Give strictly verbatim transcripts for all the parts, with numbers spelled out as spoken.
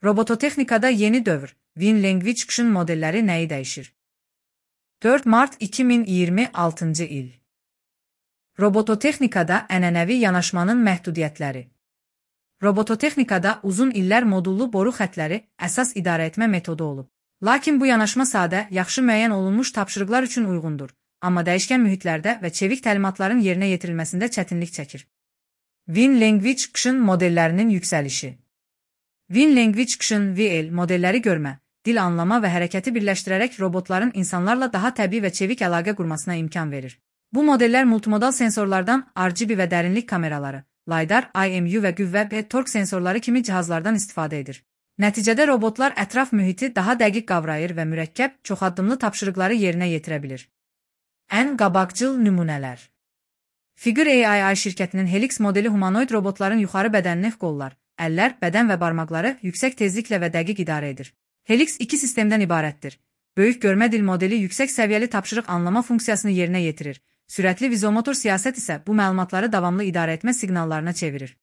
Robototexnikada yeni dövr, WinLanguageCtion modelləri nəyi dəyişir? dörd mart iki min iyirmi altıncı il. Robototexnikada ənənəvi yanaşmanın məhdudiyyətləri. Robototexnikada uzun illər modullu boru xətləri əsas idarəetmə metodu olub. Lakin bu yanaşma sadə, yaxşı müəyyən olunmuş tapşırıqlar üçün uyğundur, amma dəyişkən mühitlərdə və çevik təlimatların yerinə yetirilməsində çətinlik çəkir. WinLanguageCtion modellərinin yüksəlişi. WinLanguageCtion V L modelləri görmə, dil anlama və hərəkəti birləşdirərək robotların insanlarla daha təbii və çevik əlaqə qurmasına imkan verir. Bu modellər multimodal sensorlardan R G B və dərinlik kameraları, LiDAR, I M U və qüvvə və tork sensorları kimi cihazlardan istifadə edir. Nəticədə robotlar ətraf mühiti daha dəqiq qavrayır və mürəkkəb, çoxaddımlı tapşırıqları yerinə yetirə bilir. Ən qabaqcıl nümunələr. Figure A I şirkətinin Helix modeli humanoid robotların yuxarı bədənini qollar, əllər, bədən və barmaqları yüksək tezliklə və dəqiq idarə edir. Helix iki sistemdən ibarətdir. Böyük görmə dil modeli yüksək səviyyəli tapşırıq anlama funksiyasını yerinə yetirir. Sürətli vizomotor siyasət isə bu məlumatları davamlı idarə etmə siqnallarına çevirir.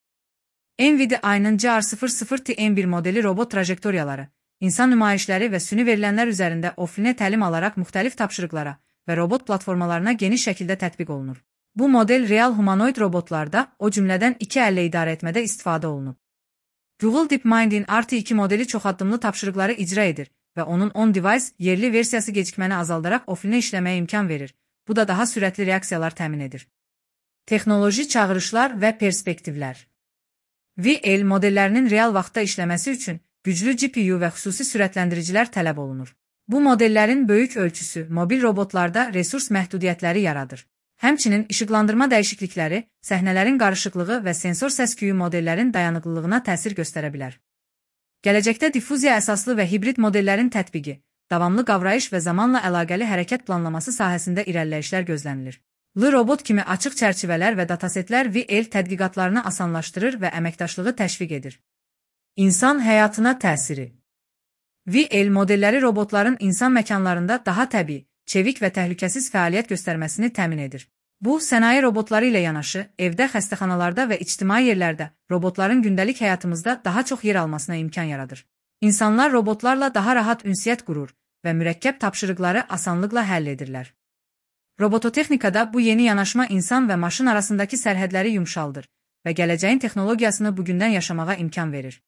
NVIDIA-nın G R sıfır sıfır T M bir modeli robot trajektoriyaları, insan nümayişləri və süni verilənlər üzərində offline təlim alaraq müxtəlif tapşırıqlara və robot platformalarına geniş şəkildə tətbiq olunur. Bu model real humanoid robotlarda, o cümlədən iki əllə idarə etmədə istifadə olunub. Google DeepMind'in R T iki modeli çoxaddımlı tapşırıqları icra edir və onun on-device yerli versiyası gecikməni azaldaraq offline işləməyə imkan verir. Bu da daha sürətli reaksiyalar təmin edir. Texnoloji çağırışlar və perspektivlər. V L modellərinin real vaxtda işləməsi üçün güclü G P U və xüsusi sürətləndiricilər tələb olunur. Bu modellərin böyük ölçüsü mobil robotlarda resurs məhdudiyyətləri yaradır. Həmçinin işıqlandırma dəyişiklikləri, səhnələrin qarışıqlığı və sensor səs-küyü modellərin dayanıqlılığına təsir göstərə bilər. Gələcəkdə diffuziya əsaslı və hibrid modellərin tətbiqi, davamlı qavrayış və zamanla əlaqəli hərəkət planlaması sahəsində irəliləyişlər gözlənilir. L-robot kimi açıq çərçivələr və datasetlər V L tədqiqatlarını asanlaşdırır və əməkdaşlığı təşviq edir. İnsan həyatına təsiri. V L modelləri robotların insan məkanlarında daha təbii, çevik və təhlükəsiz fəaliyyət göstərməsini təmin edir. Bu, sənaye robotları ilə yanaşı, evdə, xəstəxanalarda və ictimai yerlərdə robotların gündəlik həyatımızda daha çox yer almasına imkan yaradır. İnsanlar robotlarla daha rahat ünsiyyət qurur və mürəkkəb tapşırıqları asanlıqla həll edirlər. Robototexnikada bu yeni yanaşma insan və maşın arasındakı sərhədləri yumşaldır və gələcəyin texnologiyasını bugündən yaşamağa imkan verir.